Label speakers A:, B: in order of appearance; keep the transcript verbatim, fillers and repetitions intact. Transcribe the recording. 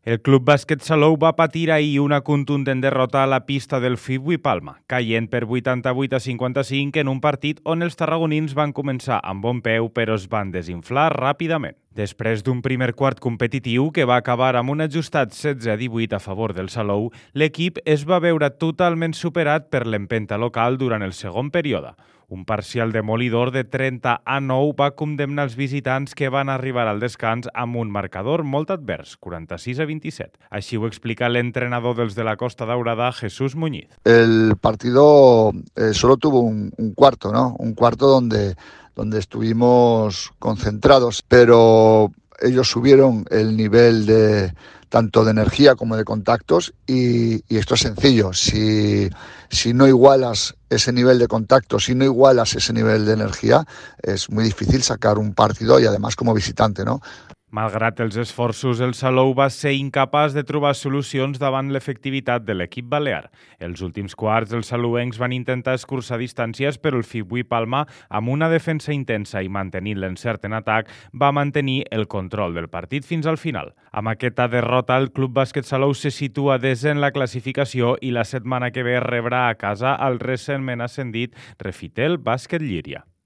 A: El Club Bàsquet Salou va patir ahir una contundent derrota a la pista del Fibui Palma, caient per vuitanta-vuit a cinquanta-cinc en un partit on els tarragonins van començar amb bon peu però es van desinflar ràpidament. Després d'un primer quart competitiu que va acabar amb un ajustat setze a divuit a favor del Salou, l'equip es va veure totalment superat per l'empenta local durant el segon període. Un parcial demolidor de trenta a nou va condemnar els visitants que van arribar al descans amb un marcador molt advers, quaranta-sis a vint-i-set. Així ho explica l'entrenador dels de la Costa Daurada, Jesús Muñiz.
B: El partido eh, solo tuvo un, un cuarto, ¿no? Un cuarto donde, donde estuvimos concentrados, pero ellos subieron el nivel de tanto de energía como de contactos y, y esto es sencillo. Si, si no igualas ese nivel de contacto, si no igualas ese nivel de energía, es muy difícil sacar un partido y además como visitante, ¿no?
A: Malgrat els esforços, el Salou va ser incapaç de trobar solucions davant l'efectivitat de l'equip balear. Els últims quarts, els salouencs van intentar escurçar distàncies, però el Fibui Palma, amb una defensa intensa i mantenint l'encert en atac, va mantenir el control del partit fins al final. Amb aquesta derrota, el Club Bàsquet Salou se situa desè en la classificació i la setmana que ve rebrà a casa el recentment ascendit Refitel Bàsquet Llíria.